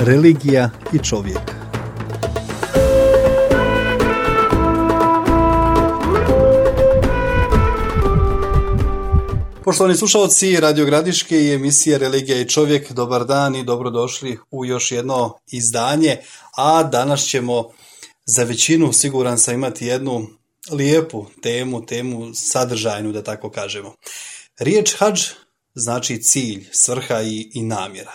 religija i čovjek. Poštovani slušalci Radio Gradiške i emisije Religija i čovjek, dobar dan i dobrodošli u još jedno izdanje, a danas ćemo za većinu, siguran sam, imati jednu lijepu temu sadržajnu, da tako kažemo. Riječ hadž znači cilj, svrha i namjera.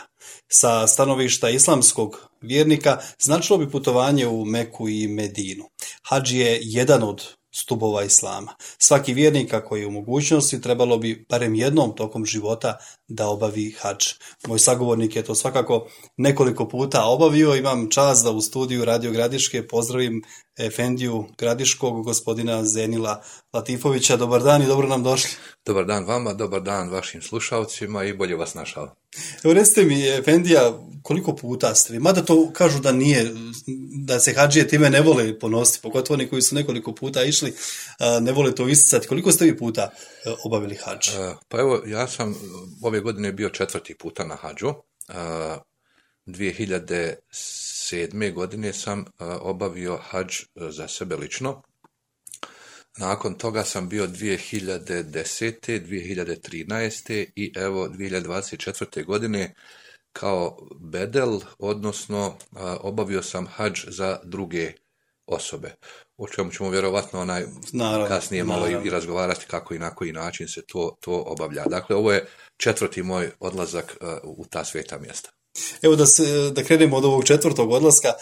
Sa stanovišta islamskog vjernika značilo bi putovanje u Meku i Medinu. Hadž je jedan od stubova islama. Svaki vjernik koji je u mogućnosti trebalo bi barem jednom tokom života da obavi hadž. Moj sagovornik je to svakako nekoliko puta obavio. Imam čast da u studiju Radio Gradiške pozdravim efendiju Gradiškog, gospodina Zenila Latifovića. Dobar dan i dobro nam došli. Dobar dan vama, dobar dan vašim slušalcima i bolje vas našao. Evo recite mi, efendija, koliko puta ste vi? Mada to kažu da nije, da se hadžije time ne vole ponositi, pogotovo oni koji su nekoliko puta išli, ne vole to isticati. Koliko ste vi puta obavili hadž? Pa evo, ja sam ove godine bio 4. puta na hadžu. 2007. godine sam obavio hadž za sebe lično. Nakon toga sam bio 2010., 2013. i evo 2024. godine kao bedel, odnosno obavio sam hadž za druge osobe. O čemu ćemo vjerovatno kasnije malo i razgovarati kako i na koji način se to obavlja. Dakle, ovo je 4. moj odlazak u ta sveta mjesta. Evo da krenemo od ovog 4. odlaska,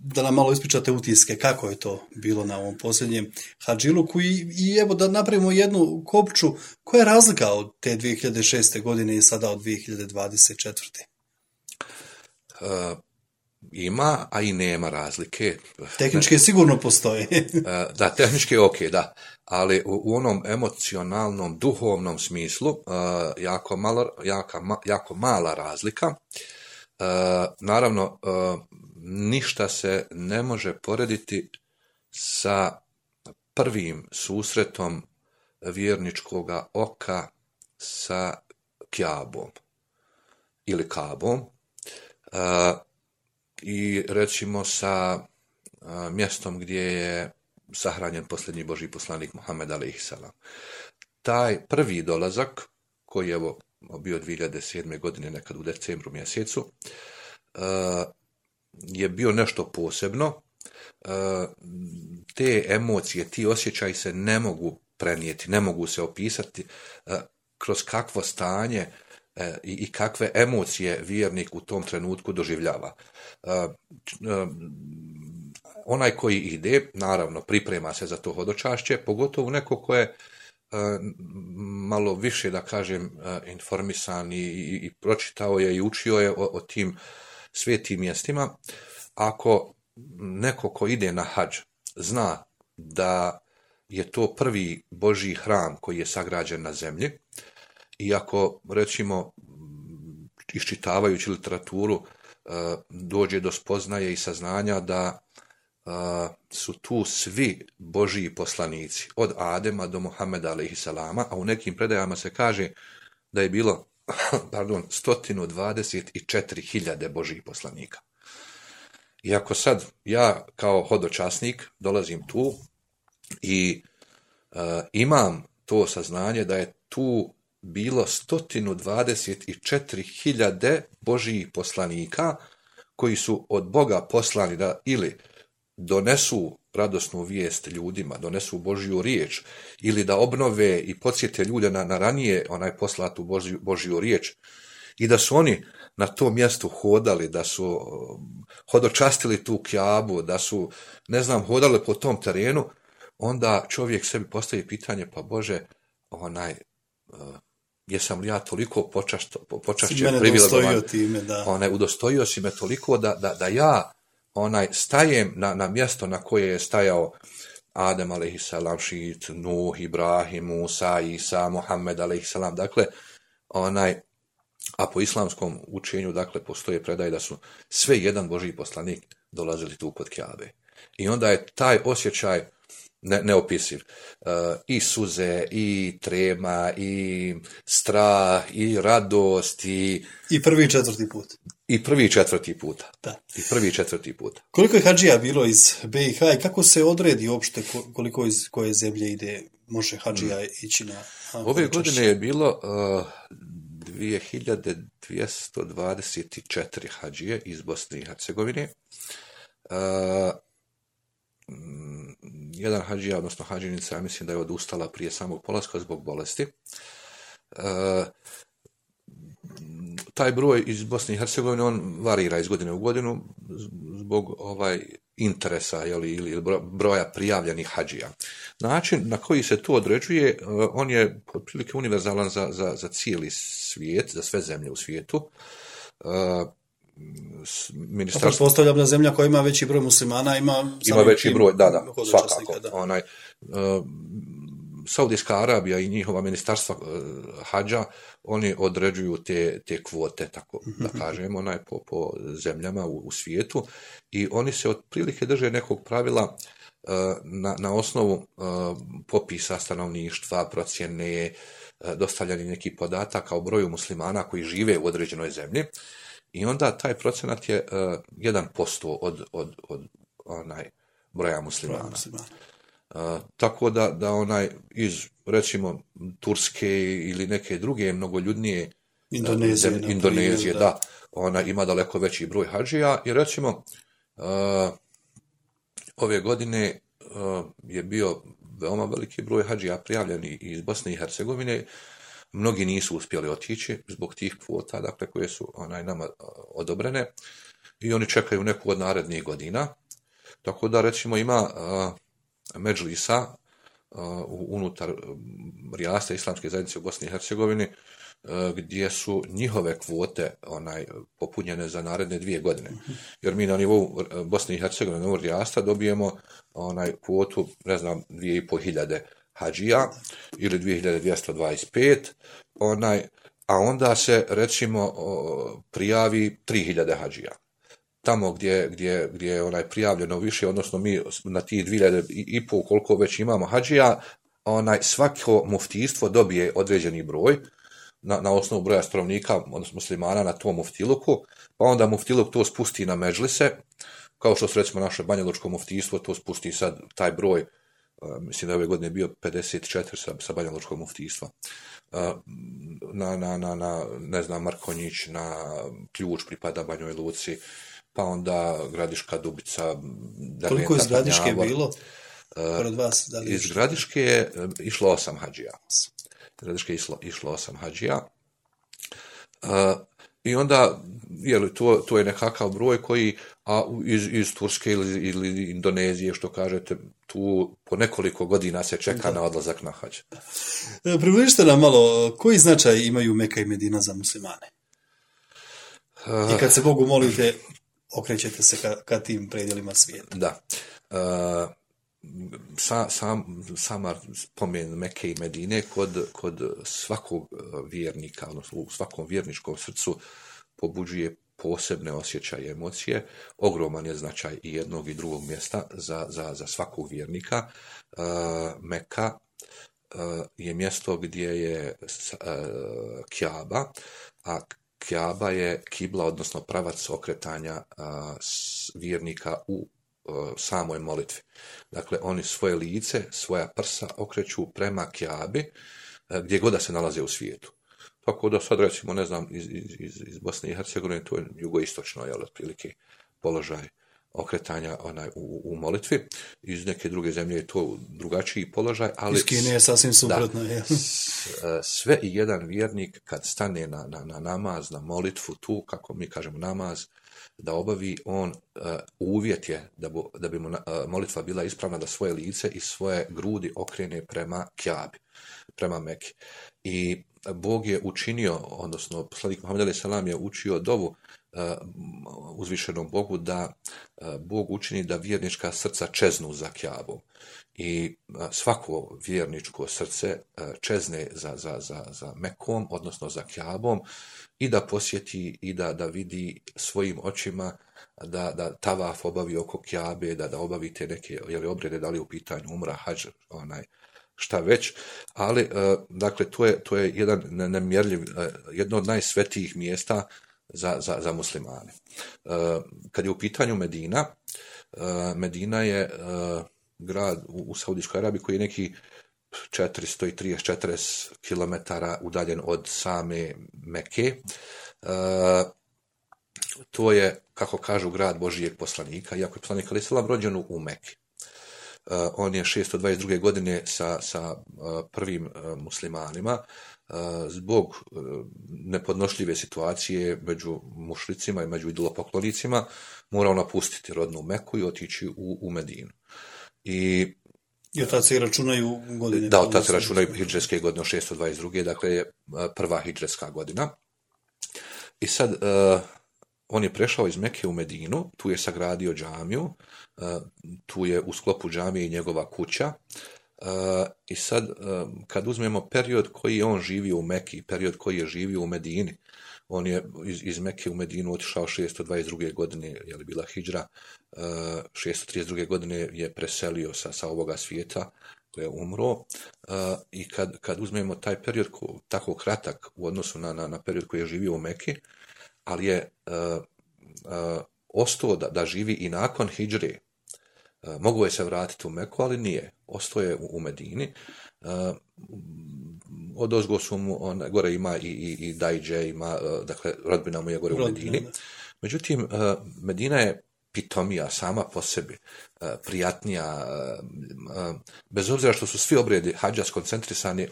da nam malo ispričate utiske, kako je to bilo na ovom posljednjem hadžiluku i evo da napravimo jednu kopču, koja je razlika od te 2006. godine i sada od 2024. Ima, a i nema razlike. Tehnički sigurno postoje. Da, tehnički je ok, da. Ali u onom emocionalnom, duhovnom smislu jako mala razlika. Naravno, ništa se ne može porediti sa prvim susretom vjerničkoga oka sa Kjabom ili Kabom i recimo sa mjestom gdje je sahranjen posljednji Božji poslanik Muhammed a.s. Taj prvi dolazak, koji je bio 2007. godine, nekad u decembru mjesecu, je bio nešto posebno. Te emocije, ti osjećaji se ne mogu prenijeti, ne mogu se opisati kroz kakvo stanje i kakve emocije vjernik u tom trenutku doživljava. Onaj koji ide, naravno, priprema se za to hodočašće, pogotovo neko ko je malo više, da kažem, informisan i pročitao je i učio je o tim svetim mjestima. Ako neko ko ide na hadž zna da je to prvi Božji hram koji je sagrađen na zemlji i ako, recimo, iščitavajući literaturu dođe do spoznaje i saznanja da su tu svi Božji poslanici, od Adema do Muhameda a.s., a u nekim predajama se kaže da je bilo 124.000 Božjih poslanika. I ako sad ja kao hodočasnik dolazim tu i imam to saznanje da je tu bilo 124.000 Božjih poslanika koji su od Boga poslani da ili donesu radosnu vijest ljudima, donesu Božju riječ ili da obnove i podsjete ljude na ranije poslatu Božju riječ i da su oni na tom mjestu hodali, da su hodočastili tu Kjabu, da su, hodali po tom terenu, onda čovjek sebi postavi pitanje, pa Bože, jesam li ja toliko počašćen, privilegovan, udostojio si me toliko da ja stajem na mjesto na koje je stajao Adem a.s., Šit, Nuh, Ibrahim, Musa, Isa, Muhammed a.s. Dakle, a po islamskom učenju, dakle, postoje predaje da su sve jedan Božji poslanik dolazili tu kod Kjabe. I onda je taj osjećaj neopisiv. I suze, i trema, i strah, i radost, i prvi i 4. put. I prvi i četvrti puta. Da. I prvi i četvrti puta. Koliko je hadžija bilo iz BiH i kako se odredi uopšte koliko iz koje zemlje ide, može hadžija ići na... Ove godine je bilo 2224 hadžije iz Bosne i Hercegovine. Jedan hadžija, odnosno hadžinica, ja mislim da je odustala prije samog polaska zbog bolesti. Taj broj iz Bosne i Hercegovine, on varira iz godine u godinu zbog interesa ili broja prijavljenih hadžija. Način na koji se to određuje, on je otprilike univerzalan za cijeli svijet, za sve zemlje u svijetu. Postavljam da zemlja koja ima veći broj muslimana ima veći broj, da, svakako. Saudijska Arabija i njihova ministarstva hadža, oni određuju te kvote, tako da kažemo, po zemljama u svijetu, i oni se otprilike drže nekog pravila na osnovu popisa stanovništva, procjene, dostavljanja nekih podataka o broju muslimana koji žive u određenoj zemlji, i onda taj procenat je 1% od broja muslimana. Tako da iz, recimo, Turske ili neke druge mnogoljudnije Indonezije, da, ona ima daleko veći broj hadžija, i recimo ove godine je bio veoma veliki broj hadžija prijavljeni iz Bosne i Hercegovine. Mnogi nisu uspjeli otići zbog tih kvota, dakle, koje su nama odobrene, i oni čekaju neku od narednih godina. Tako da, recimo, ima medžlisa unutar rijasta Islamske zajednice u Bosni i Hercegovini, gdje su njihove kvote popunjene za naredne 2 godine. Jer mi na nivou Bosne i Hercegovine, na nivou rijasta, dobijemo kvotu, ne znam, 2500 hadžija ili 2225, a onda se, recimo, prijavi 3000 hadžija. Tamo gdje je prijavljeno više, odnosno mi na tih 2500 koliko već imamo hadžija, svako muftijstvo dobije određeni broj na osnovu broja stanovnika, odnosno muslimana na tom muftiluku, pa onda muftiluk to spusti na medžlise, kao što su, recimo, naše Banjalučko muftijstvo, to spusti sad taj broj, mislim da ove godine bio 54 sa Banjalučkog muftijstva, ne znam, Markonjić, na Ključ pripada Banjoj Luci, pa onda Gradiška, Dubica, koliko je iz Gradiške bilo? Iz Gradiške je išlo 8 hadžija. Išlo 8 hadžija. I onda, to je nekakav broj koji, a iz Turske ili Indonezije, što kažete, tu po nekoliko godina se čeka na odlazak na hadž. Približite nam malo, koji značaj imaju Meka i Medina za muslimane? I kad se Bogu molite, okrećete se ka tim predjelima svijeta. Da. Sama spomen Mekke i Medine kod svakog vjernika, odnosno u svakom vjerničkom srcu, pobuđuje posebne osjećaje i emocije. Ogroman je značaj i jednog i drugog mjesta za svakog vjernika. Meka je mjesto gdje je Kjaba, a Kjaba je kibla, odnosno pravac okretanja vjernika u samoj molitvi. Dakle, oni svoje lice, svoja prsa okreću prema Kjabi, gdje god da se nalaze u svijetu. Tako da sad, recimo, ne znam, iz Bosne i Hercegovine, to je jugoistočno, otprilike položaj okretanja u molitvi. Iz neke druge zemlje je to drugačiji položaj, ali... Iz Kine je sasvim suprotno. Sve i jedan vjernik kad stane na namaz, na molitvu, tu, kako mi kažemo, namaz, da obavi, on uvjet je da bi mu molitva bila ispravna, da svoje lice i svoje grudi okrene prema Kjabi, prema Meki. I Bog je učinio, odnosno poslanik Muhammed alejhi selam je učio dovu uzvišenom Bogu da Bog učini da vjernička srca čeznu za Kjabom. I svako vjerničko srce čezne za Mekom, odnosno za Kjabom, i da posjeti i da vidi svojim očima, da tavaf obavi oko Kjabe, da obavi te neke obrede, da li u pitanju umra, hadž, šta već, ali dakle to je jedan nemjerljiv, jedno od najsvetijih mjesta za muslimane. Kad je u pitanju Medina, Medina je grad u Saudijskoj Arabiji koji je neki 430-40 km udaljen od same Mekke. To je, kako kažu, grad Božijeg poslanika, iako je poslanik alejhi selam rođen u Mekki. On je 622. godine sa prvim muslimanima zbog nepodnošljive situacije među mušricima i među idolopoklonicima morao napustiti rodnu Meku i otići u Medinu. I od tada se računaju godine? Da, od tada se računaju hidžretske godine 622. Dakle je prva hidžretska godina. I sad on je prešao iz Mekke u Medinu, tu je sagradio džamiju, tu je u sklopu džamije i njegova kuća. I sad, kad uzmemo period koji je on živio u Mekki, period koji je živio u Medini, on je iz Mekke u Medinu otišao 622. godine, je li bila hidžra, 632. godine je preselio sa ovoga svijeta, je umro. I kad uzmemo taj period tako kratak u odnosu na period koji je živio u Mekki, ali je ostao da živi i nakon hidžre. Mogu je se vratiti u Meku, ali nije. Ostao je u Medini. Odozgo su mu, gore ima i Dajđe, ima, dakle, rodbina mu je gore u Medini. Međutim, Medina je pitomija sama po sebi, prijatnija, bez obzira što su svi obredi hadža skoncentrisani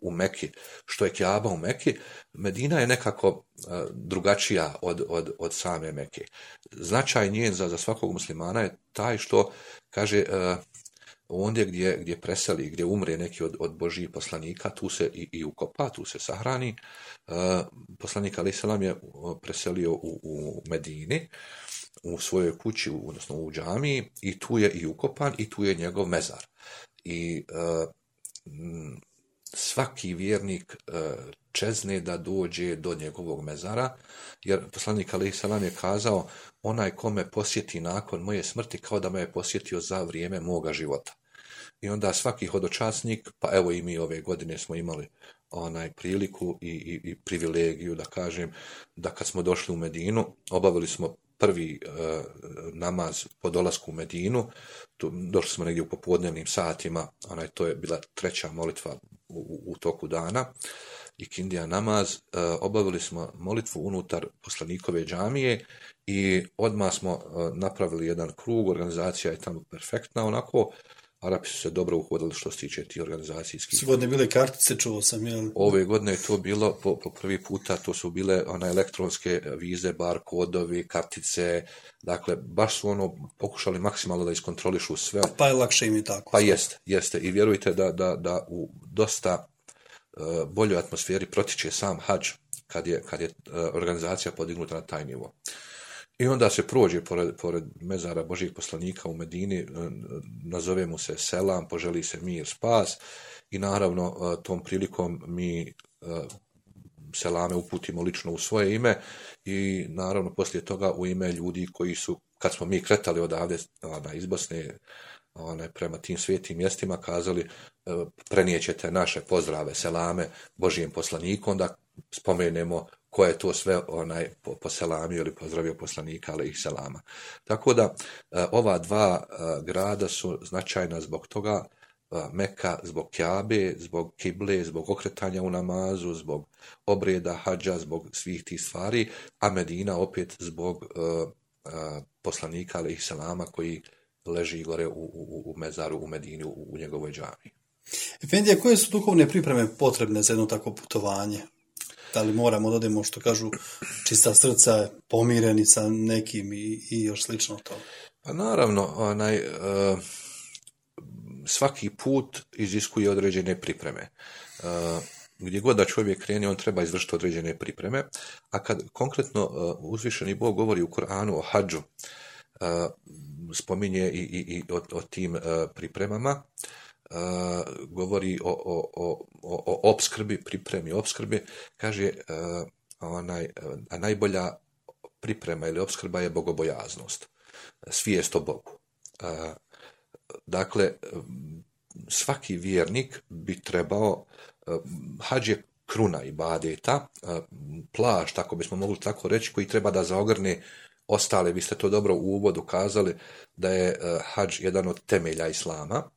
u Mekki, što je Kjaba u Mekki, Medina je nekako drugačija od same Mekke. Značaj njen za svakog muslimana je taj što, kaže, ondje gdje preseli, gdje umre neki od Božjih poslanika, tu se i ukopa, tu se sahrani. Poslanik alejhi selam je preselio u Medini, u svojoj kući, odnosno u džamiji, i tu je i ukopan i tu je njegov mezar. I svaki vjernik čezne da dođe do njegovog mezara, jer poslanik alejhi selam je kazao: onaj ko me posjeti nakon moje smrti kao da me je posjetio za vrijeme moga života. I onda svaki hodočasnik, pa evo i mi ove godine smo imali priliku i privilegiju, da kažem, da kad smo došli u Medinu, obavili smo prvi namaz po dolasku u Medinu, došli smo negdje u popodnevnim satima, to je bila treća molitva u toku dana, i kindija namaz, obavili smo molitvu unutar poslanikove džamije i odmah smo napravili jedan krug, organizacija je tamo perfektna, onako, Arapi su se dobro uhodili što se tiče ti organizacijskih. Sve godine bile kartice, čuo sam, jel? Ove godine je to bilo, po prvi puta, to su bile elektronske vize, bar kodovi, kartice, dakle, baš su pokušali maksimalno da iskontrolišu sve. Pa je lakše im i tako. Pa jeste. I vjerujte da u dosta boljoj atmosferi protiče sam hadž kad je organizacija podignuta na taj nivo. I onda se prođe pored mezara Božjih poslanika u Medini, nazove mu se selam, poželi se mir, spas, i naravno tom prilikom mi selame uputimo lično u svoje ime i naravno poslije toga u ime ljudi koji su, kad smo mi kretali odavde iz Bosne prema tim svijetim mjestima, kazali: prenijećete naše pozdrave, selame Božijem poslaniku, onda spomenemo ko je to sve poselamio ili pozdravio poslanika alejhi selama. Tako da ova dva grada su značajna zbog toga, Meka zbog Kjabe, zbog kible, zbog okretanja u namazu, zbog obreda hadža, zbog svih tih stvari, a Medina opet zbog poslanika alejhi selama koji leži gore u mezaru u Medini, u njegovoj džamiji. Efendija, koje su duhovne pripreme potrebne za jedno takvo putovanje? Da li moramo da odemo, što kažu, čista srca, pomireni sa nekim i još slično to? Pa naravno, svaki put iziskuje određene pripreme. Gdje god da čovjek krene, on treba izvršiti određene pripreme, a kad konkretno uzvišeni Bog govori u Kur'anu o hadžu, spominje i o tim pripremama, govori o opskrbi, pripremi opskrbi, kaže a najbolja priprema ili opskrba je bogobojaznost, svijest o Bogu. Dakle, svaki vjernik bi trebao, hadž je kruna ibadeta, plašt, ako bismo mogli tako reći, koji treba da zaogrne ostale. Vi ste to dobro u uvodu kazali da je hadž jedan od temelja islama.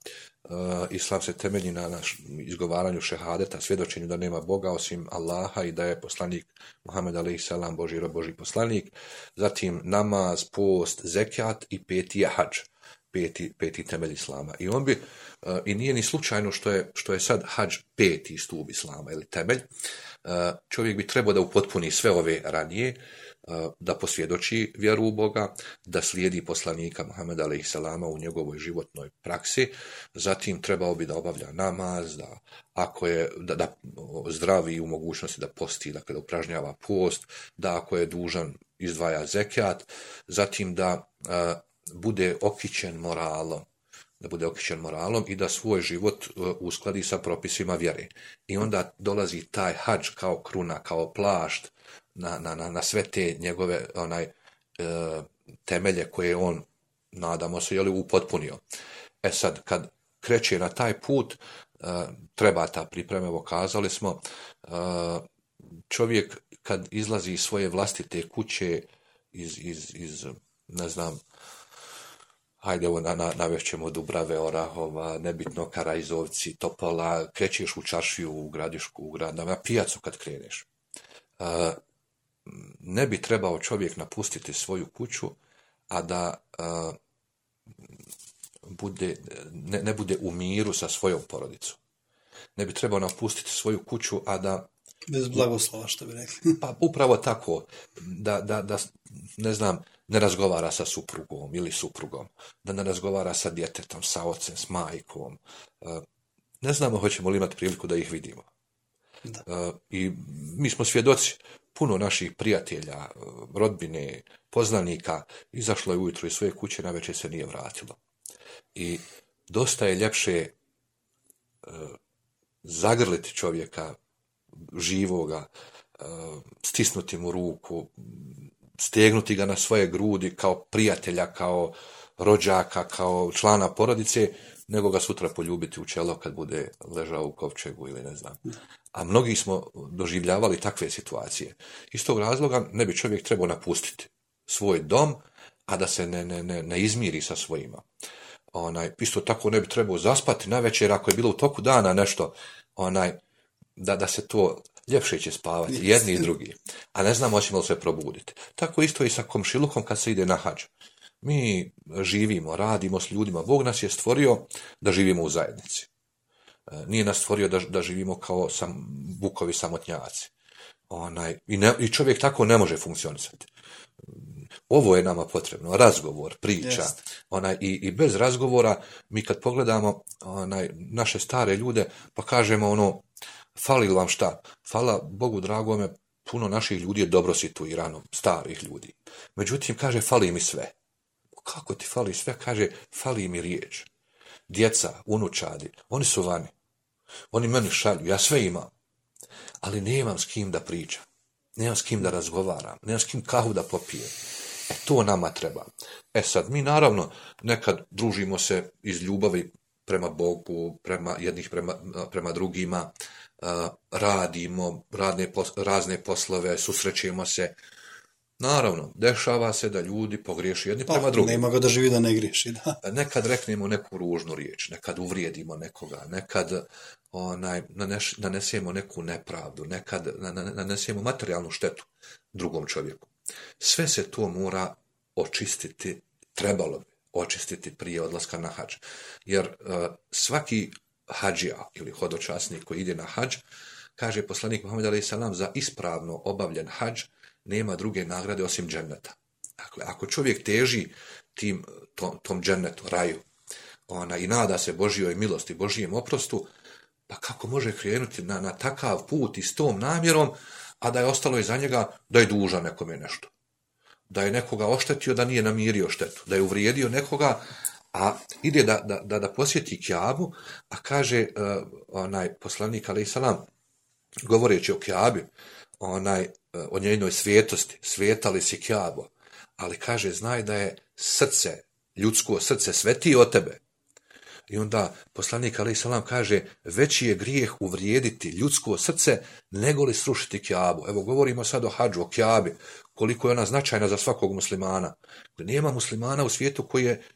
Islam se temelji na izgovaranju šehadeta, svjedočenju da nema Boga osim Allaha i da je poslanik Muhammed a.s. Božji rob, Božji poslanik. Zatim namaz, post, zekijat i peti je hadž. Peti temelj islama. I on bi, i nije ni slučajno što je sad hadž peti stup islama ili temelj. Čovjek bi trebao da upotpuni sve ove ranije, da posvjedoči vjeru u Boga, da slijedi poslanika Muhameda a.s. u njegovoj životnoj praksi, zatim trebao bi da obavlja namaz, da ako je da zdravi u mogućnosti da posti, dakle da upražnjava post, da ako je dužan izdvaja zekijat, zatim da bude okićen moralom i da svoj život uskladi sa propisima vjere. I onda dolazi taj hadž kao kruna, kao plašt na sve te njegove temelje koje on, nadamo se, upotpunio. Sad, kad kreće na taj put, treba ta priprema, evo kazali smo, čovjek kad izlazi iz svoje vlastite kuće, iz ne znam, hajde, evo navešćemo Dubrave, Orahova, nebitno Karajzovci, Topola, krećeš u Čaršiju, u Gradišku, u grad, na pijacu kad kreneš. Ne bi trebao čovjek napustiti svoju kuću, a da ne bude u miru sa svojom porodicom. Ne bi trebao napustiti svoju kuću, a da... Bez blagoslova, što bi rekli. Pa upravo tako, da ne znam, ne razgovara sa suprugom ili suprugom, da ne razgovara sa djetetom, sa ocem, s majkom. Ne znamo hoćemo li imati priliku da ih vidimo. I mi smo svjedoci, puno naših prijatelja, rodbine, poznanika izašlo je ujutro iz svoje kuće, navečer se nije vratilo. I dosta je ljepše zagrliti čovjeka živoga, stisnuti mu ruku, stegnuti ga na svoje grudi kao prijatelja, kao rođaka, kao člana porodice, nego ga sutra poljubiti u čelo kad bude ležao u kovčegu ili ne znam. A mnogi smo doživljavali takve situacije. Iz tog razloga ne bi čovjek trebao napustiti svoj dom, a da se ne izmiri sa svojima. Isto tako ne bi trebao zaspati navečer ako je bilo u toku dana nešto, da se to ljepše će spavati, jedni i drugi. A ne znamo hoćemo li se probuditi. Tako isto i sa komšilukom kad se ide na hadž. Mi živimo, radimo s ljudima. Bog nas je stvorio da živimo u zajednici. Nije nas stvorio da živimo kao bukovi samotnjaci. I čovjek tako ne može funkcionisati. Ovo je nama potrebno, razgovor, priča. I bez razgovora, mi kad pogledamo naše stare ljude, pa kažemo fali vam šta? Hvala Bogu dragome, puno naših ljudi je dobro situirano, starih ljudi. Međutim, kaže, fali mi sve. Kako ti fali sve? Kaže, fali mi riječ. Djeca, unučadi, oni su vani. Oni meni šalju, ja sve imam. Ali nemam s kim da pričam. Nemam s kim da razgovaram. Nemam s kim kahu da popijem. To nama treba. Sad, mi naravno nekad družimo se iz ljubavi prema Bogu, prema drugima, radimo razne poslove, susrećemo se. Naravno, dešava se da ljudi pogriješi jedni prema drugim. Nema ga da živi da ne griješi, da. Nekad reknemo neku ružnu riječ, nekad uvrijedimo nekoga, nekad nanesemo neku nepravdu, nekad nanesemo materijalnu štetu drugom čovjeku. Sve se to mora očistiti, trebalo bi očistiti prije odlaska na hadž. Jer svaki hadžija ili hodočasnik koji ide na hadž, kaže poslanik Muhammed a.s. za ispravno obavljen hadž nema druge nagrade osim dženneta. Dakle, ako čovjek teži tom džennetu, raju, i nada se Božjoj milosti, Božjem oprostu, pa kako može krenuti na takav put i s tom namjerom, a da je ostalo iza njega da je dužan nekome nešto. Da je nekoga oštetio, da nije namirio štetu. Da je uvrijedio nekoga, a ide da posjeti Kjabu, a kaže poslanik a.s. govoreći o Kjabi, o njenoj svetosti, svetali si Kjabo, ali kaže, znaj da je ljudsko srce svetije od tebe. I onda poslanik alejhi selam kaže, veći je grijeh uvrijediti ljudsko srce nego li srušiti Kjabu. Evo govorimo sad o hadžu, o Kjabi, koliko je ona značajna za svakog muslimana. Nema muslimana u svijetu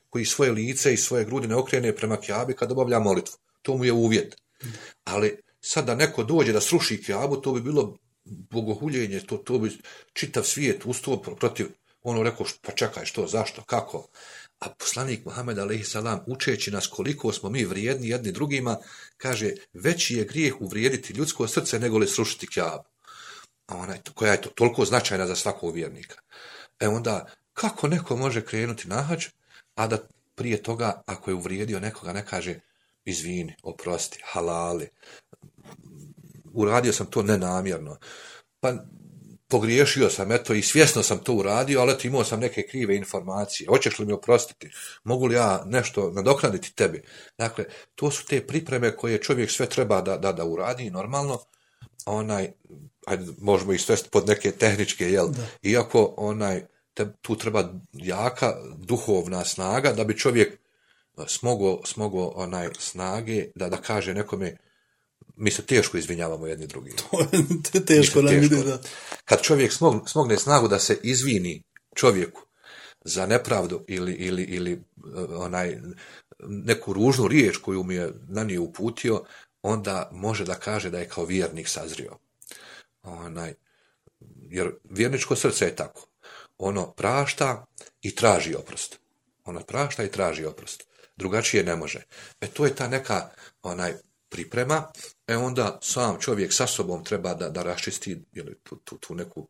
koji svoje lice i svoje grudi ne okrene prema Kjabi kad obavlja molitvu. To mu je uvjet. Ali sad da neko dođe da sruši Kjabu, to bi bilo bogohuljenje, to bi čitav svijet ustao protiv, ono rekao, pa čekaj, što, zašto, kako? A poslanik Muhammed alejhi selam, učeći nas koliko smo mi vrijedni jedni drugima, kaže, veći je grijeh uvrijediti ljudsko srce nego li srušiti Kjabu. Koja je to toliko značajna za svakog vjernika. Onda, kako neko može krenuti na hadž, a da prije toga, ako je uvrijedio nekoga, ne kaže, izvini, oprosti, halali, uradio sam to nenamjerno, pa pogriješio sam, eto, i svjesno sam to uradio, ali eto, imao sam neke krive informacije, hoćeš li mi oprostiti, mogu li ja nešto nadoknaditi tebi? Dakle, to su te pripreme koje čovjek sve treba da uradi normalno, možemo ih svesti pod neke tehničke, jel? Da. Iako tu treba jaka duhovna snaga da bi čovjek smogo snage da kaže nekome, mi se teško izvinjavamo jedni drugi. To je teško nam ide, da. Kad čovjek smogne snagu da se izvini čovjeku za nepravdu ili neku ružnu riječ koju mi je na nju uputio, onda može da kaže da je kao vjernik sazrio. Jer vjerničko srce je tako. Ono prašta i traži oprost. Drugačije ne može. To je ta neka priprema, onda sam čovjek sa sobom treba da raščisti tu neku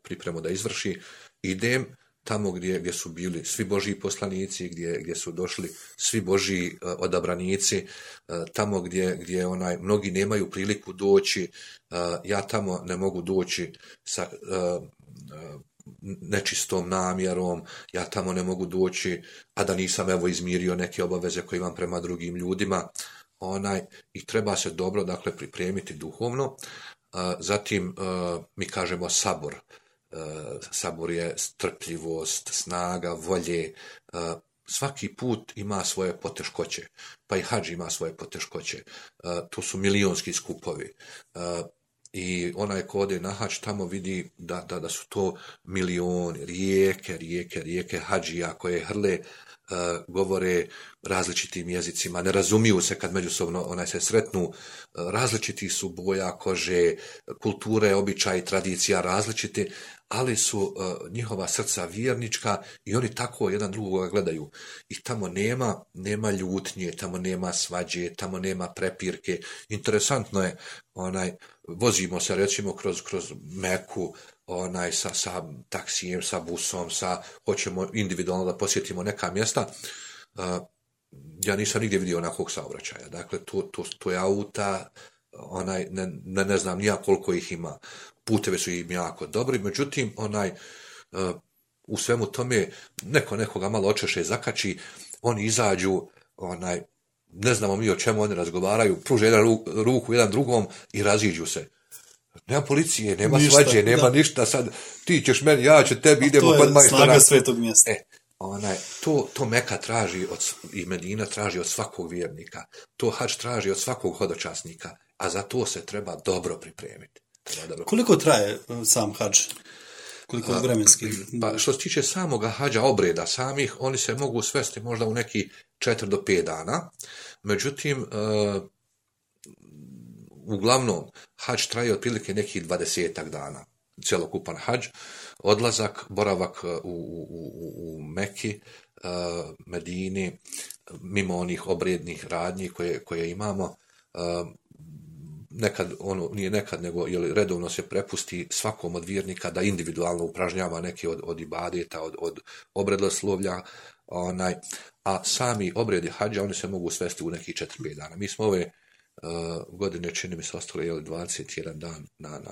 pripremu da izvrši. Idem tamo gdje su bili svi Božji poslanici, gdje su došli svi Božji odabranici, tamo gdje mnogi nemaju priliku doći, ja tamo ne mogu doći sa nečistom namjerom, ja tamo ne mogu doći, a da nisam izmirio neke obaveze koje imam prema drugim ljudima. I treba se dobro, dakle, pripremiti duhovno. Zatim mi kažemo sabor. Sabor je strpljivost, snaga, volje. Svaki put ima svoje poteškoće, pa i hadž ima svoje poteškoće. To su milionski skupovi. I onaj ko ode na hadž tamo vidi da su to milioni, rijeke hadžija koje hrle, govore različitim jezicima, ne razumiju se kad međusobno se sretnu, različiti su boja kože, kulture, običaji, tradicija različiti, ali su njihova srca vjernička i oni tako jedan drugoga gledaju. I tamo nema ljutnje, tamo nema svađe, tamo nema prepirke. Interesantno je, vozimo se recimo kroz Meku, sa taksijem, sa busom, hoćemo individualno da posjetimo neka mjesta. Ja nisam nigdje vidio onakvog saobraćaja. Dakle, to je auta, ne znam nija koliko ih ima. Putevi su im jako dobri, međutim, u svemu tome nekoga malo očeše zakači, oni izađu, ne znamo mi o čemu oni razgovaraju, pruže ruku jedan drugom i raziđu se. Nema policije, nema svađe, nema ništa, sad ti ćeš meni, ja ću tebi, idemo kod majstora. To je snaga svetog mjesta. To Meka traži i Medina traži od svakog vjernika, to hadž traži od svakog hodočasnika, a za to se treba dobro pripremiti. Koliko traje sam hadž? Koliko vremenski? Pa što se tiče samoga hadža, obreda samih, oni se mogu svesti možda u neki 4 do 5 dana, međutim, uglavnom, hadž traje otprilike nekih 20 dana, cjelokupan hadž, odlazak, boravak u Meki, Medini, mimo onih obrednih radnji koje imamo, nije nekad, nego redovno se prepusti svakom od vjernika da individualno upražnjava neke od ibadeta, od obredoslovlja, a sami obredi hadža, oni se mogu svesti u nekih 4-5 dana. Mi smo ove godine, čini mi se, ostali 21 dan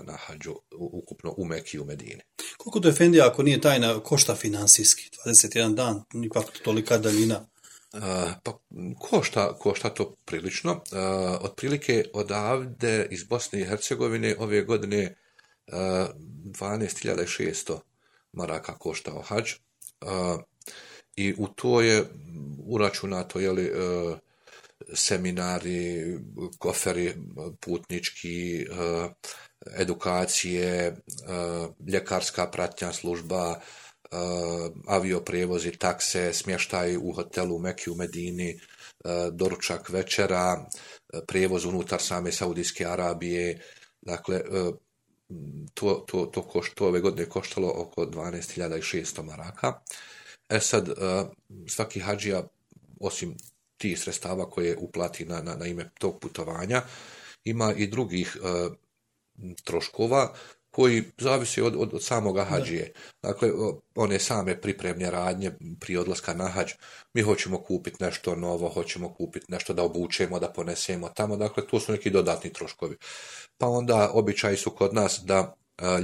na hadžu, ukupno u Meki i u Medini. Koliko to efendija, ako nije tajna, košta finansijski? 21 dan, ipak tolika daljina. Pa košta to prilično. Otprilike odavde iz Bosne i Hercegovine ove godine 12.600 maraka koštao hadž. I u to je uračunato seminari, koferi putnički, edukacije, ljekarska pratnja služba, avioprijevozi, takse, smještaj u hotelu u Meki u Medini, doručak večera, prijevoz unutar same Saudijske Arabije. Dakle, to ove godine koštalo oko 12.600 maraka. Sad, svaki hadžija, osim tih sredstava koje uplati na ime tog putovanja, ima i drugih troškova koji zavisi od samoga hadžije. Dakle, one same pripremne radnje prije odlaska na hadž. Mi hoćemo kupiti nešto novo, hoćemo kupiti nešto da obučemo, da ponesemo tamo. Dakle, to su neki dodatni troškovi. Pa onda običaji su kod nas da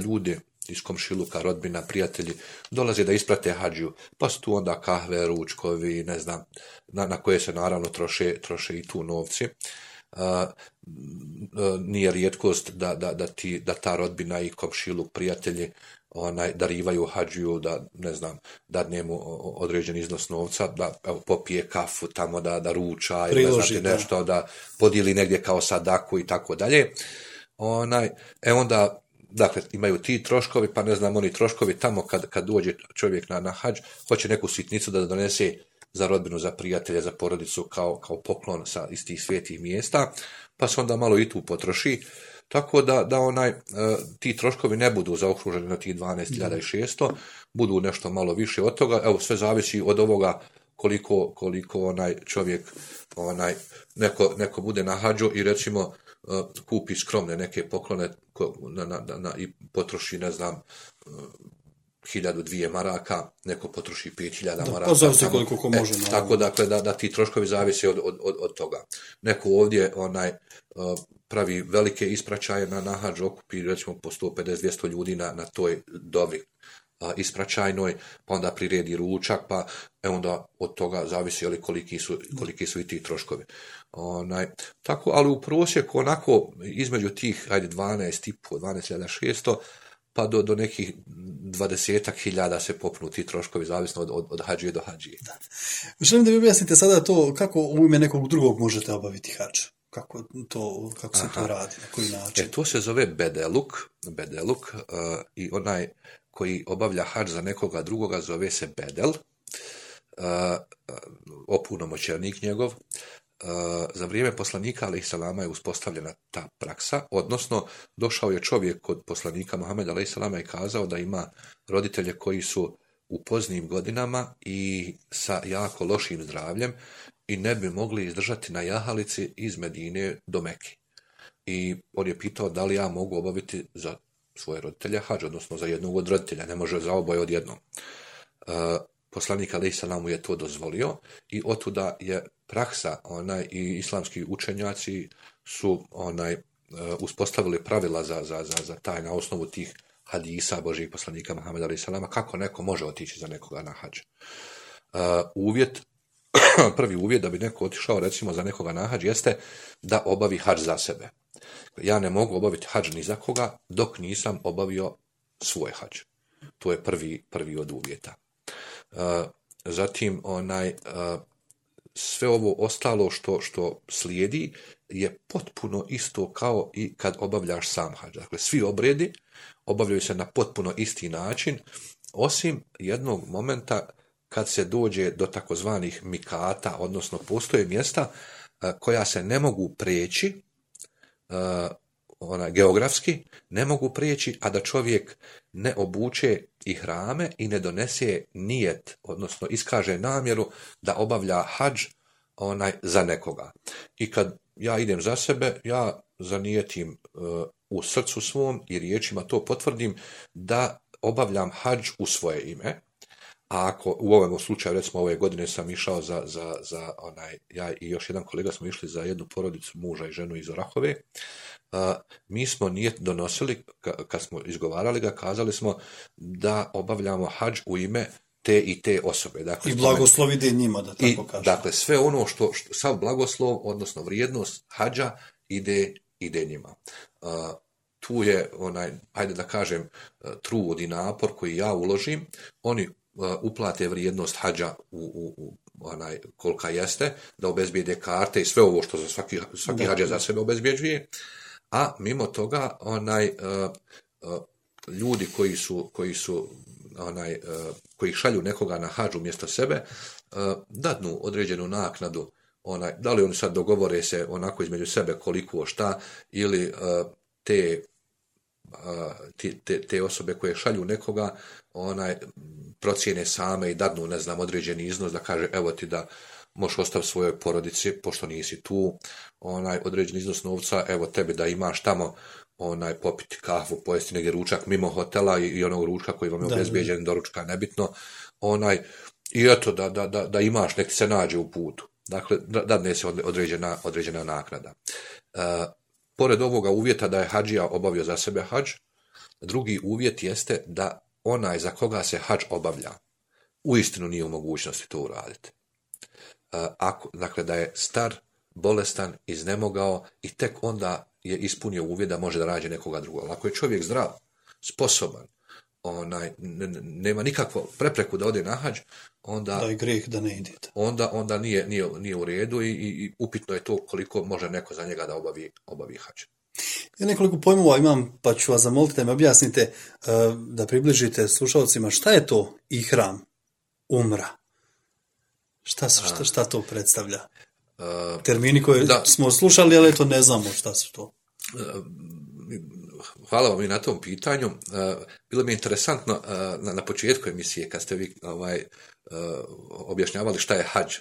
ljudi iz komšiluka, rodbina, prijatelji dolaze da isprate hadžiju. Pa su tu onda kahve, ručkovi, ne znam, na koje se naravno troše i tu novci. Nije rijetkost da ta rodbina i komšiluk, prijatelji darivaju hadžiju, da ne znam, dadnemo određen iznos novca, da popije kafu tamo, da ruča ili ne znam nešto, da podijeli negdje kao sadaku i tako dalje. Onda, dakle, imaju ti troškovi, pa ne znam, oni troškovi tamo kad dođe čovjek na hadž, hoće neku sitnicu da donese za rodbinu, za prijatelje, za porodicu kao poklon iz tih svijetih mjesta, pa se onda malo i tu potroši. Tako da ti troškovi ne budu zaokruženi na tih 12.600, budu nešto malo više od toga. Evo, sve zavisi od ovoga koliko čovjek, neko bude na hadžu i recimo kupi skromne neke poklone i potroši, ne znam, 1.000-2 maraka, neko potroši 5.000 maraka. Zavisi koliko ko može. Tako dakle, da ti troškovi zavise od toga. Neko ovdje pravi velike ispraćaje na hadž, okupi recimo po 150-200 ljudi na toj dovi ispraćajnoj, pa onda priredi ručak, pa onda od toga zavisi koliki su i ti troškovi. Tako, ali u prosjeku onako između tih 12.600 pa do nekih 20.000 se popnu ti troškovi, zavisno od hadžije do hadžije. Želim da mi objasnite sada to kako u ime nekog drugog možete obaviti hadž. Kako se to radi, na koji način? To se zove bedeluk i onaj koji obavlja hadž za nekoga drugoga zove se bedel, opunomoćenik njegov. Za vrijeme poslanika alejselama je uspostavljena ta praksa, odnosno došao je čovjek kod poslanika Muhameda alejselama i kazao da ima roditelje koji su u poznijim godinama i sa jako lošim zdravljem i ne bi mogli izdržati na jahalici iz Medine do Meke. I on je pitao da li ja mogu obaviti za svoje roditelje hadž, odnosno za jednog od roditelja, ne može za oboje odjednom. Poslanik alejselam mu je to dozvolio i otuda je praksa i islamski učenjaci su uspostavili pravila za taj na osnovu tih hadisa Božijeg poslanika Muhameda alejselama kako neko može otići za nekoga na hadž. Prvi uvjet da bi neko otišao recimo za nekoga na hadž jeste da obavi hadž za sebe. Ja ne mogu obaviti hadž ni za koga dok nisam obavio svoj hadž. To je prvi od uvjeta. Zatim sve ovo ostalo što slijedi je potpuno isto kao i kad obavljaš sam hadž. Dakle, svi obredi obavljaju se na potpuno isti način, osim jednog momenta kad se dođe do takozvanih mikata, odnosno postoje mjesta koja se ne mogu prijeći, geografski ne mogu prijeći, a da čovjek ne obuče ihrame i ne donese nijet, odnosno iskaže namjeru da obavlja hadž za nekoga. I kad ja idem za sebe, ja zanijetim u srcu svom i riječima to potvrdim da obavljam hadž u svoje ime. A ako u ovom slučaju, recimo ove godine sam išao ja i još jedan kolega smo išli za jednu porodicu, muža i ženu iz Orahove, mi smo nijet donosili, kad smo izgovarali ga, kazali smo da obavljamo hadž u ime te i te osobe. Dakle, i blagoslov ide njima, da tako kažem. Dakle, sve ono što sav blagoslov, odnosno vrijednost hadža ide njima. Tu je hajde da kažem, trud i napor koji ja uložim, oni uplate vrijednost hađa u kolika jeste, da obezbijede karte i sve ovo što za svaki hađa za sebe obezbjeđuje, a mimo toga ljudi koji šalju nekoga na hadž umjesto sebe, dadnu određenu naknadu, da li oni sad dogovore se onako između sebe koliko šta, ili te osobe koje šalju nekoga procijene same i dadnu, ne znam, određeni iznos, da kaže evo ti da možeš ostaviti svojoj porodici, pošto nisi tu, određeni iznos novca, evo tebi da imaš tamo popiti kafu, pojesti negdje ručak mimo hotela i onog ručka koji vam je obezbijeđen, doručka, nebitno, i eto da imaš, nek se nađe u putu. Dakle, dadne se određena naknada. Pored ovoga uvjeta da je hadžija obavio za sebe hadž, drugi uvjet jeste da onaj za koga se hadž obavlja uistinu nije u mogućnosti to uraditi. Dakle, da je star, bolestan, iznemogao i tek onda je ispunio uvjet da može da rađe nekoga drugog. Ako je čovjek zdrav, sposoban, nema nikakvu prepreku da ode na hadž, onda da je greh da ne idete. Onda nije u redu i upitno je to koliko može neko za njega da obavi hadž. Ja nekoliko pojmova imam, pa ću vas zamoliti da mi objasnite, da približite slušalcima šta je to ihram, umra. Šta to predstavlja? Termini koje smo slušali, ali eto ne znamo šta su to. Hvala vam i na tom pitanju. Bilo mi je interesantno na početku emisije kad ste vi objašnjavali šta je hadž,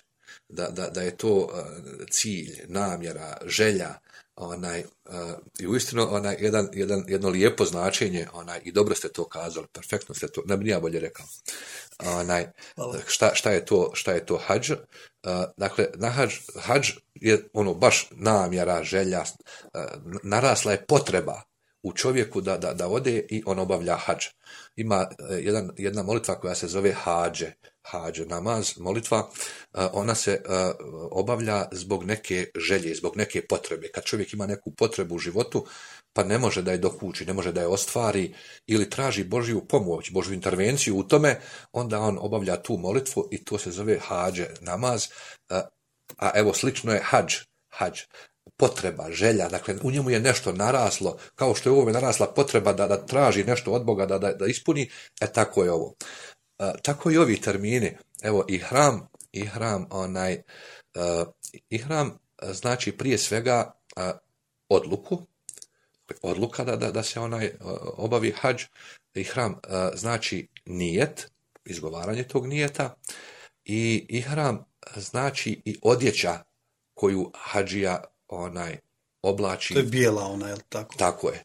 da je to cilj, namjera, želja, i uistinu jedno lijepo značenje, i dobro ste to kazali, perfektno ste to, ne bi ja bolje rekao. Šta je to hadž? Dakle, hadž je ono baš namjera, želja, narasla je potreba u čovjeku da ode i on obavlja hadž. Ima jedna molitva koja se zove hadž namaz, molitva, ona se obavlja zbog neke želje, zbog neke potrebe. Kad čovjek ima neku potrebu u životu, pa ne može da je dokući, ne može da je ostvari ili traži Božju pomoć, Božju intervenciju u tome, onda on obavlja tu molitvu i to se zove hadž namaz, a evo slično je hadž. Potreba, želja, dakle u njemu je nešto naraslo, kao što je u ovome narasla potreba da traži nešto od Boga, da ispuni, tako je ovo. Tako i ovi termini, evo ihram znači prije svega odluka da se obavi hadž. Ihram znači nijet, izgovaranje tog nijeta, i ihram znači i odjeća koju hadžija oblači. To je bijela je li tako? Tako je.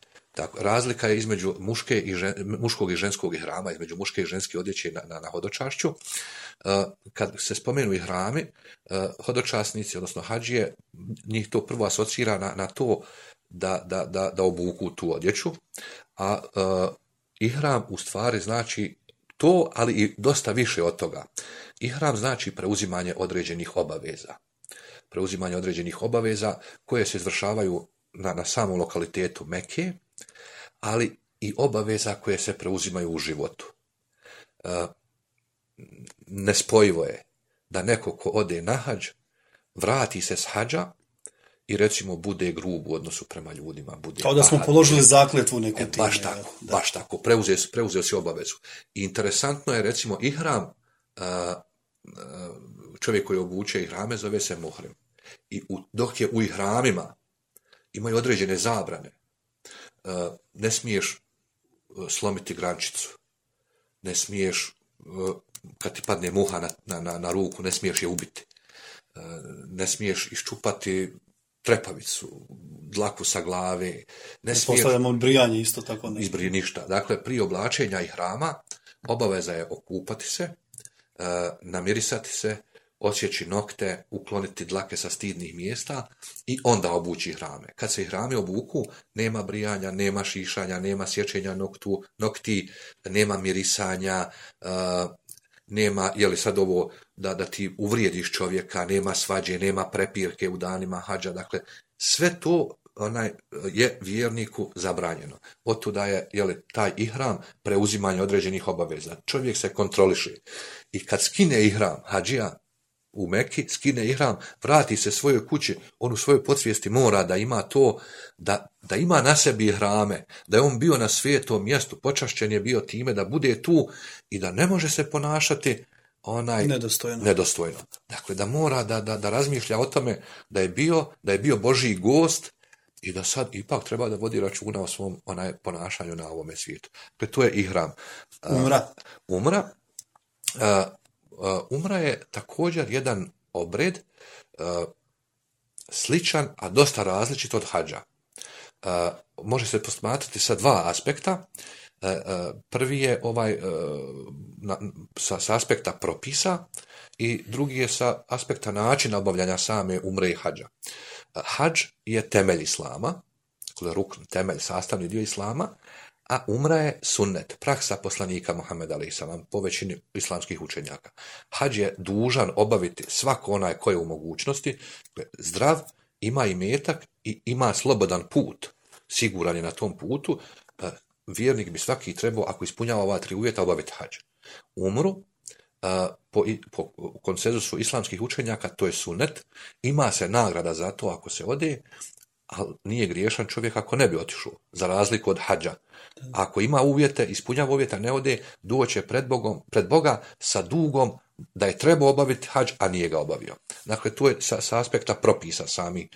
Razlika je između muškog i ženskog ihrama, između muške i ženske odjeće na hodočašću. Kad se spomenu ihrami, hodočasnici, odnosno hadžije, njih to prvo asocira na to da obuku tu odjeću, a ihram u stvari znači to, ali i dosta više od toga. Ihram znači preuzimanje određenih obaveza. Preuzimanje određenih obaveza koje se izvršavaju na samom lokalitetu Mekke, ali i obaveza koje se preuzimaju u životu. Nespojivo je da neko ko ode na hadž, vrati se s hadža i recimo bude grub u odnosu prema ljudima. Kao da smo položili zakletvu neku time. Baš tako, preuzeo si obavezu. I interesantno je recimo ihram, čovjek koji obuče ihrame zove se muhrim. I dok je u ihramima imaju određene zabrane. Ne smiješ slomiti grančicu, ne smiješ, kad ti padne muha na ruku, ne smiješ je ubiti, ne smiješ iščupati trepavicu, dlaku sa glave, ne smiješ... Postavljamo brijanje isto tako. Izbrije ništa. Dakle, prije oblačenja ihrama obaveza je okupati se, namirisati se, odsjeći nokte, ukloniti dlake sa stidnih mjesta i onda obući ihrame. Kad se ihrame obuku, nema brijanja, nema šišanja, nema sječenja nokti, nema mirisanja, nema, sad ovo da ti uvrijediš čovjeka, nema svađe, nema prepirke u danima hadža. Dakle, sve to je vjerniku zabranjeno. Otuda je taj ihram preuzimanje određenih obaveza. Čovjek se kontroliše. I kad skine ihram, hadžija u Meki, skine ihram, vrati se svojoj kući, on u svojoj podsvijesti mora da ima to, da ima na sebi ihrame, da je on bio na svetom mjestu, počašćen je bio time da bude tu i da ne može se ponašati nedostojno. Dakle, da mora da razmišlja o tome da je bio Božji gost i da sad ipak treba da vodi računa o svom ponašanju na ovome svijetu. Dakle, to je ihram. Umra je također jedan obred sličan, a dosta različit od hadža. Može se posmatrati sa dva aspekta. Prvi je sa aspekta propisa i drugi je sa aspekta načina obavljanja same umre i hadža. Hadž je temelj islama, rukn, temelj, sastavni dio islama, a umra je sunnet, praksa poslanika Muhameda alejhi selam po većini islamskih učenjaka. Hadž je dužan obaviti svako onaj ko je u mogućnosti, zdrav, ima imetak i ima slobodan put, siguran je na tom putu. Vjernik bi svaki trebao, ako ispunjava ova tri uvjeta, obaviti hadž. Umru, po konsenzusu islamskih učenjaka, to je sunnet, ima se nagrada za to ako se ode, ali nije griješan čovjek ako ne bi otišao, za razliku od hadža. Ako ima uvjete, ispunjava uvjeta, ne ode, doće pred Boga sa dugom da je trebao obaviti hadž, a nije ga obavio. Dakle, to je sa aspekta propisa sami,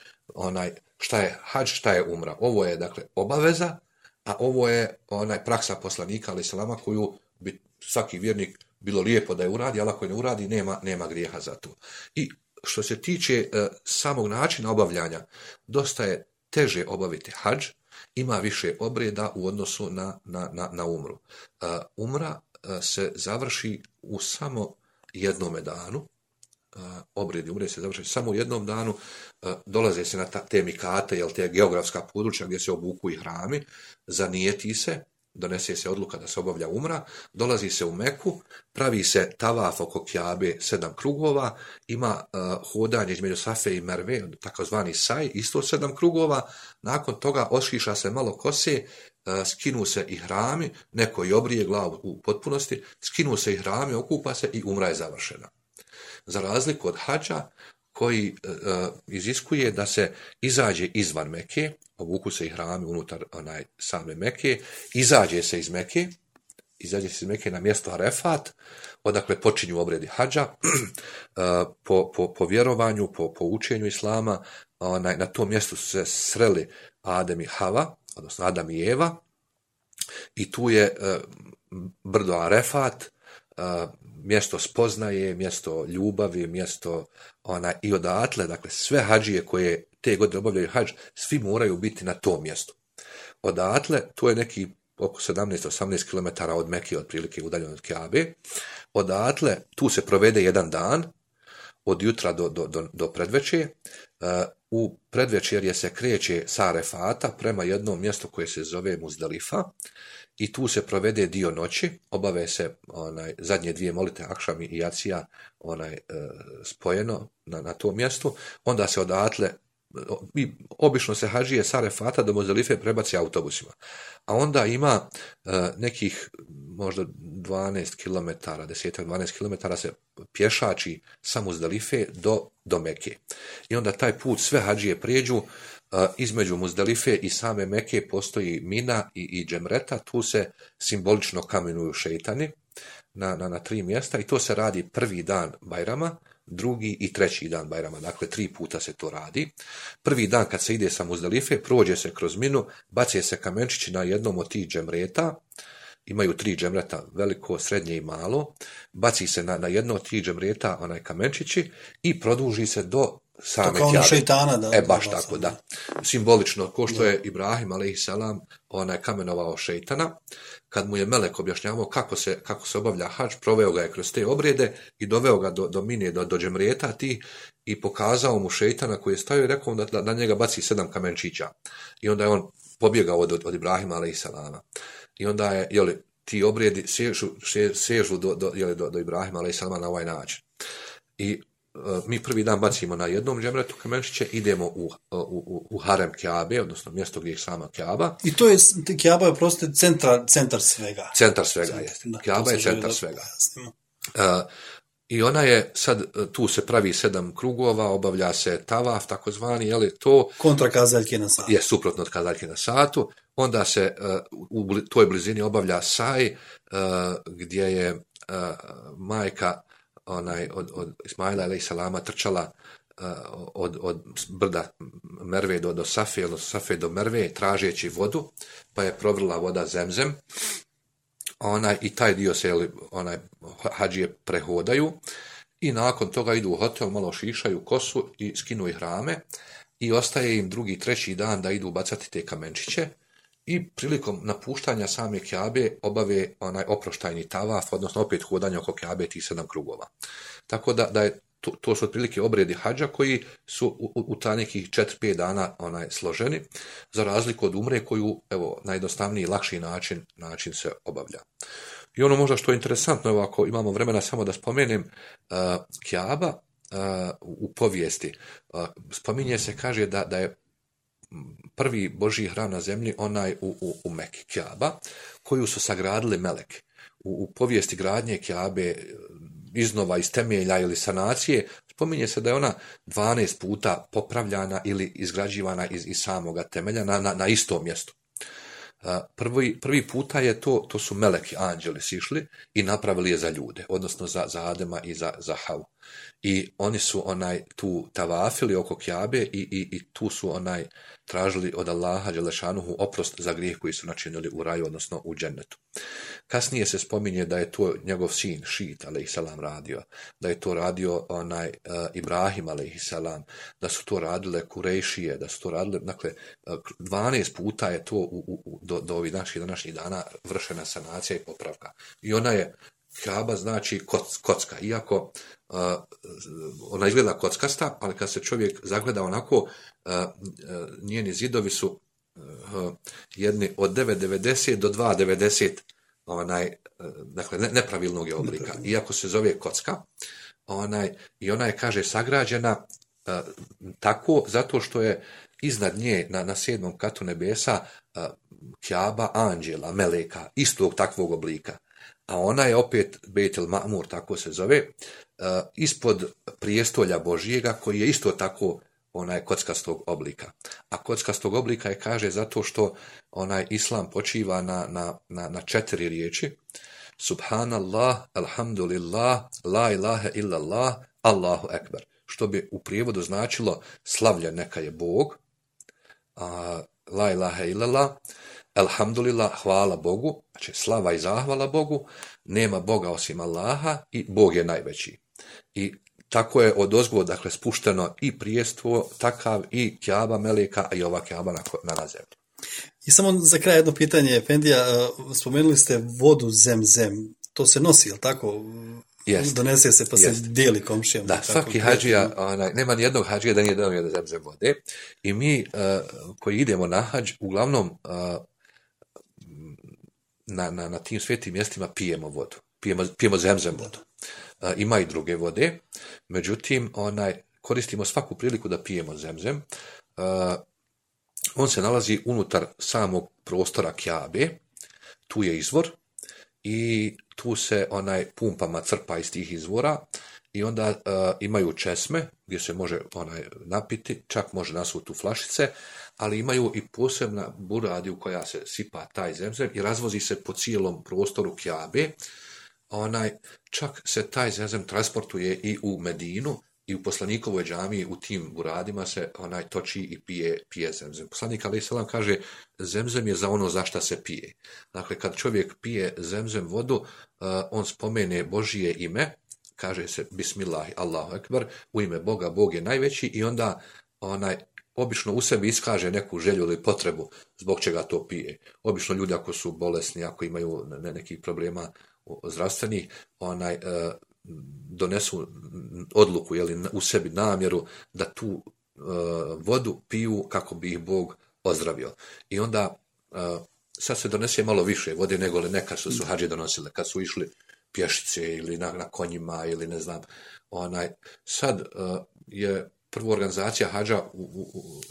šta je hadž, šta je umra. Ovo je, dakle, obaveza, a ovo je praksa poslanika alejhi selama koju bi svaki vjernik bilo lijepo da je uradi, ali ako je ne uradi, nema grijeha za to. I što se tiče samog načina obavljanja, dosta je teže obaviti hadž, ima više obreda u odnosu na umru. Umra se završi u samo jednome danu, obredi umre se završi samo u jednom danu, dolaze se na te mikate, te geografska područja gdje se obuku i hrami, zanijeti se, donese se odluka da se obavlja umra, dolazi se u Meku, pravi se tavaf oko Kjabe 7 krugova, ima hodanje između Safe i Merve, takozvani saj, isto 7 krugova, nakon toga ošiša se malo kose, skinu se i hrami, neko i obrije glavu u potpunosti, skinu se i hrami, okupa se i umra je završena. Za razliku od hadža, koji iziskuje da se izađe izvan Meke, obuku se i hrami unutar same Meke, izađe se iz Meke na mjesto Arefat, odakle počinju obredi hadža, po vjerovanju, po učenju islama, na tom mjestu su se sreli Adem i Hava, odnosno Adam i Eva, i tu je brdo Arefat, mjesto spoznaje, mjesto ljubavi, mjesto i odatle, dakle sve hadžije koje te godine obavljaju hadž, svi moraju biti na tom mjestu. Odatle, to je neki oko 17-18 km od Mekije, otprilike udaljeno od Kjabe. Odatle, tu se provede jedan dan, od jutra do predvečer. U predvečerje se kreće sa Arefata prema jednom mjestu koje se zove Muzdalifa i tu se provede dio noći, obave se zadnje dvije molite Akšam i Jacija spojeno na tom mjestu, onda se odatle, obično se hadžije sa Arefata do Muzdalife prebaci autobusima, a onda ima nekih možda 12 km, 10-12 km se pješači sa Muzdalife do Meke. I onda taj put sve hadžije prijeđu, između Muzdalife i same Meke postoji Mina i Džemreta, tu se simbolično kamenuju šejtani na 3 mjesta i to se radi prvi dan Bajrama, drugi i treći dan Bajrama, dakle 3 puta se to radi. Prvi dan kad se ide sa Muzdalife, prođe se kroz Minu, bace se kamenčići na jednom od tih džemreta, imaju 3 džemreta, veliko, srednje i malo, baci se na jedno od tih džemreta kamenčići i produži se do same Kjabe. Šejtana, da. Baš tako, da. Simbolično, ko što je Ibrahim alejhi selam kamenovao šejtana, kad mu je melek objašnjavao kako se obavlja hadž, proveo ga je kroz te obrede i doveo ga do Mine, do džemreta ti i pokazao mu šejtana koji je stavio i rekao da na njega baci 7 kamenčića. I onda je on pobjegao od Ibrahima alejhi selama. I onda je, ti obredi sežu do Ibrahima alejhi selama na ovaj način. I mi prvi dan bacimo na jednom džemretu kamenčiće, idemo u harem Kjabe, odnosno mjesto gdje je sama Kjaba. I to je, Kjaba je prosto centar svega. Centar svega, jeste. Kjaba je centar svega. I ona je sad, tu se pravi 7 krugova, obavlja se tavaf, takozvani, je li to... Kontra kazaljke na satu. Je, suprotno od kazaljke na satu. Onda se u toj blizini obavlja saj, gdje je majka od Ismaila alejhi selama trčala od brda Merve do Safe, odnosno Safe do Merve, tražeći vodu, pa je provrla voda Zemzem. I taj dio se hadžije prehodaju i nakon toga idu u hotel, malo šišaju kosu i skinu ihrame i ostaje im drugi, treći dan da idu bacati te kamenčiće i prilikom napuštanja same Kjabe obave oproštajni tavaf, odnosno opet hodanje oko Kjabe tih 7 krugova. Tako da je to su otprilike obredi hadža koji su u ta nekih 4-5 dana složeni, za razliku od umre koju, evo, najjednostavniji i lakši način se obavlja. I ono možda što je interesantno, evo, ako imamo vremena samo da spomenem, Kjaba u povijesti, spominje se, kaže da je prvi Božji hram na zemlji onaj u Meki, Kjaba, koju su sagradili meleki. U povijesti gradnje Kjabe, iznova iz temelja ili sanacije, spominje se da je ona 12 puta popravljana ili izgrađivana iz samoga temelja na istom mjestu. Prvi puta je to su meleki, anđeli sišli i napravili je za ljude, odnosno za Adema i za Havu. I oni su tu tavafili oko Kjabe i tu su tražili od Allaha dželešanuhu oprost za grijeh koji su načinili u raju, odnosno u džennetu. Kasnije se spominje da je to njegov sin Šit alejhiselam radio, da je to radio Ibrahim alejhiselam, da su to radile Kurejšije, da su to radile, dakle 12 puta je to do ovih naših današnjih dana vršena sanacija i popravka. I ona je Kjaba, znači kocka, iako ona izgleda kockasta, ali kad se čovjek zagleda onako, njeni zidovi su jedni od 9,90 do 2,90 dakle nepravilnog je oblika, iako se zove kocka. I ona je, kaže, sagrađena tako zato što je iznad nje na 7. katu nebesa Kjaba anđela, meleka, istog takvog oblika. A ona je opet Bejt el Ma'mur, tako se zove, ispod prijestolja Božijega, koji je isto tako kockastog oblika. A kockastog oblika je, kaže, zato što islam počiva na 4 riječi: Subhanallah, alhamdulillah, la ilaha illallah, Allahu ekber. Što bi u prijevodu značilo slavljen neka je Bog, la ilaha illallah, alhamdulillah, hvala Bogu, znači slava i zahvala Bogu, nema Boga osim Allaha i Bog je najveći. I tako je odozgo, dakle, spušteno i prijestvo, takav i Kjaba meleka, a i ova Kjaba na zemlji. I samo za kraj jedno pitanje, Efendija, spomenuli ste vodu Zemzem, to se nosi, jel tako? Jest. Donese se pa se dijeli komšijama. Da, svaki hadžija, nema ni jednog hadžija da nije donio Zemzem vode. I mi koji idemo na hadž, uglavnom na tim svetim mjestima pijemo vodu. Pijemo Zemzem vodu. Ima i druge vode, međutim koristimo svaku priliku da pijemo Zemzem. On se nalazi unutar samog prostora Kjabe, tu je izvor i tu se pumpama crpa iz tih izvora i onda imaju česme gdje se može napiti, čak može nasuti u flašice, ali imaju i posebna buradi u koja se sipa taj Zemzem i razvozi se po cijelom prostoru Kjabe. Čak se taj Zemzem transportuje i u Medinu i u poslanikovoj džamiji u tim buradima se toči i pije Zemzem. Poslanik alejhiselam kaže, Zemzem je za ono za šta se pije. Dakle, kad čovjek pije Zemzem vodu, on spomene Božije ime, kaže se Bismillahi, Allahu ekber, u ime Boga, Bog je najveći, i onda obično u sebi iskaže neku želju ili potrebu zbog čega to pije. Obično ljudi ako su bolesni, ako imaju nekih problema zdravstvenih, donesu odluku, u sebi namjeru da tu vodu piju kako bi ih Bog ozdravio. I onda sad se donese malo više vode nego li nekad što su hadži donosile. Kad su išli pješice ili na konjima ili ne znam. Sad je prva organizacija hadža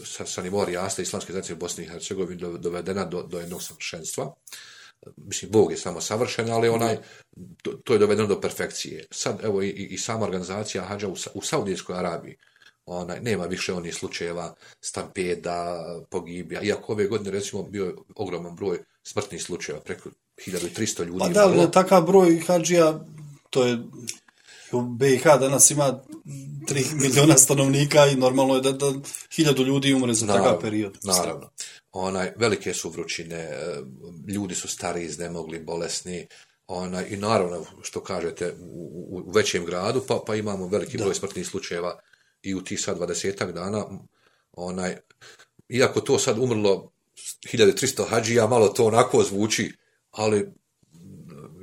sa nivoa Rijasta Islamske zajednice u Bosni i Hercegovini dovedena do jednog savršenstva. Mislim, Bog je samo savršen, ali to je dovedeno do perfekcije. Sad, evo, i sama organizacija hadža u Saudijskoj Arabiji, nema više onih slučajeva stampeda, pogibija, iako ove godine, recimo, bio je ogroman broj smrtnih slučajeva, preko 1300 ljudi. Pa da, na takav broj hadžija, to je u BiH danas ima 3 miliona stanovnika i normalno je da 1000 ljudi umre za takav period. Naravno. Velike su vrućine, ljudi su stari, iznemogli, bolesni, i naravno, što kažete, u većem gradu, pa imamo veliki broj smrtnih slučajeva i u tih sad 20 dana, iako to sad umrlo 1300 hadžija, malo to onako zvuči, ali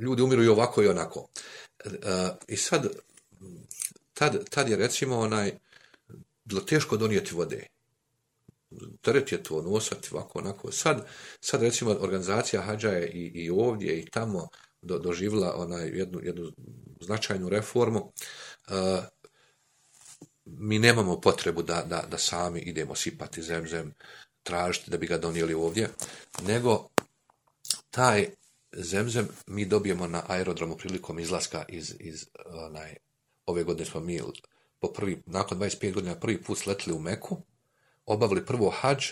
ljudi umiru i ovako i onako. I sad, tad je recimo bilo teško donijeti vode. Teret je to nosati ovako onako. Sad recimo organizacija hadža je i ovdje i tamo doživjela jednu značajnu reformu. Mi nemamo potrebu da sami idemo sipati zemzem, tražiti da bi ga donijeli ovdje, nego taj zemzem mi dobijemo na aerodromu prilikom izlaska iz ove godine smo mi nakon 25 godina prvi put sletili u Meku, obavili prvo hadž,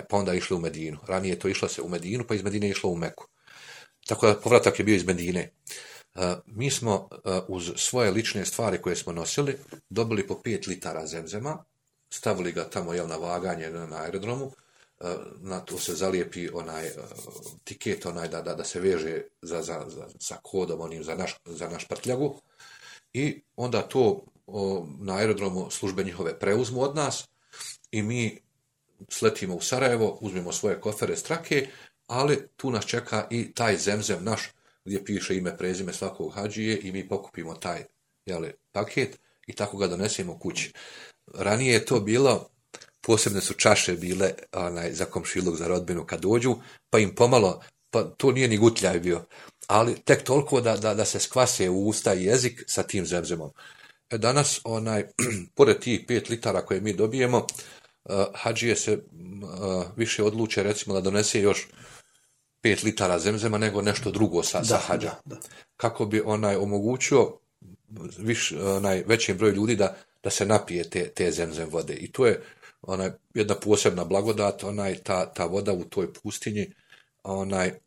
pa onda išli u Medinu. Ranije to išlo se u Medinu, pa iz Medine išlo u Meku. Tako da povratak je bio iz Medine. Mi smo uz svoje lične stvari koje smo nosili dobili po 5 litara zemzema, stavili ga tamo na vaganje na aerodromu, na to se zalijepi tiket da se veže sa kodom onim za naš prtljagu i onda to na aerodromu službe njihove preuzmu od nas i mi sletimo u Sarajevo, uzmemo svoje kofere strake, ali tu nas čeka i taj zemzem naš gdje piše ime, prezime svakog hadžije i mi pokupimo taj paket i tako ga donesemo kući. Ranije je to bilo, posebne su čaše bile za komšiluk, za rodbinu kad dođu, pa im pomalo, pa to nije ni gutljaj bio, ali tek toliko da se skvase u usta i jezik sa tim zemzemom. Danas, pored tih 5 litara koje mi dobijemo, hadžije se više odluče recimo da donese još 5 litara zemzema nego nešto drugo sa hadža. Kako bi omogućio većem broju ljudi da se napije te zemzem vode. I to je jedna posebna blagodat, ta voda u toj pustinji,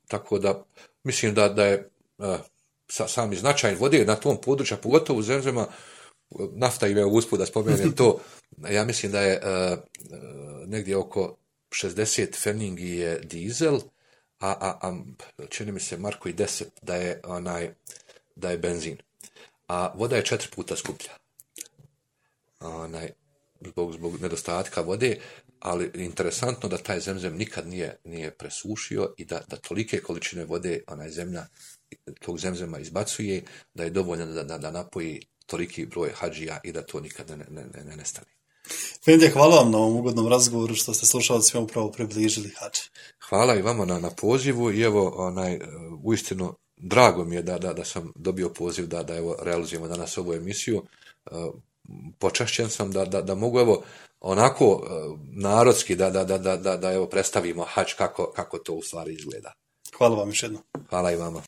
tako da mislim da je sami značaj vode na tom području, pogotovo u zemzema, nafta im je usput da spomenem to, ja mislim da je negdje oko 60 feningi je dizel, a čini mi se Marko i 10 da je benzin. A voda je 4 puta skuplja. Zbog nedostatka vode, ali interesantno da taj zemzem nikad nije presušio i da tolike količine vode zemlja tog zemzema izbacuje, da je dovoljno da napoji toliki broj hadžija i da to nikad ne nestane. Efendija, hvala vam na ovom ugodnom razgovoru što ste slušalcima upravo približili hadž. Hvala i vama na pozivu i evo uistinu drago mi je da sam dobio poziv da evo realizujemo danas ovu emisiju. Počašćen sam da mogu evo onako narodski da evo predstavimo hadž kako to u stvari izgleda. Hvala vam još jednom. Hvala i vama.